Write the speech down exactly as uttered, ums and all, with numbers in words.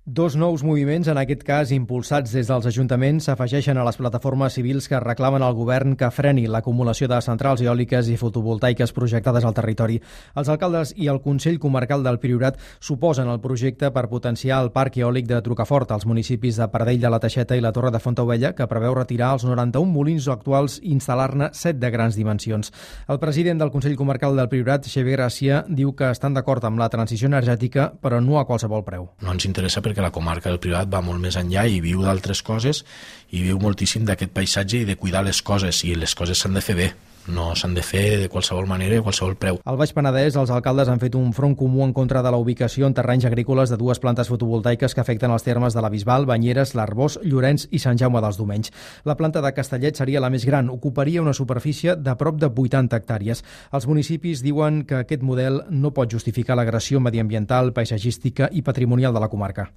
Dos nous moviments, en aquest cas impulsats des dels ajuntaments, s'afegeixen a les plataformes civils que reclamen al govern que freni l'acumulació de centrals eòliques i fotovoltaiques projectades al territori. Els alcaldes i el Consell Comarcal del Priorat s'oposen al projecte per potenciar el parc eòlic de Trucafort als municipis de Pardell de la Teixeta i la Torre de Fontaubella, que preveu retirar els noranta-un molins actuals i instal·lar-ne set de grans dimensions. El president del Consell Comarcal del Priorat, Xavier Gràcia, diu que estan d'acord amb la transició energètica, però no a qualsevol preu. No ens interessa perquè la comarca del Priorat va molt més enllà i viu d'altres coses i viu moltíssim d'aquest paisatge i de cuidar les coses, i les coses s'han de fer bé. No s'han de fer de qualsevol manera i a qualsevol preu. Al Baix Penedès, els alcaldes han fet un front comú en contra de la ubicació en terrenys agrícoles de dues plantes fotovoltaiques que afecten els termes de la Bisbal, Banyeres, l'Arboç, Llorenç i Sant Jaume dels Domenys. La planta de Castellet seria la més gran, ocuparia una superfície de prop de vuitanta hectàrees. Els municipis diuen que aquest model no pot justificar l'agressió mediambiental, paisatgística i patrimonial de la comarca.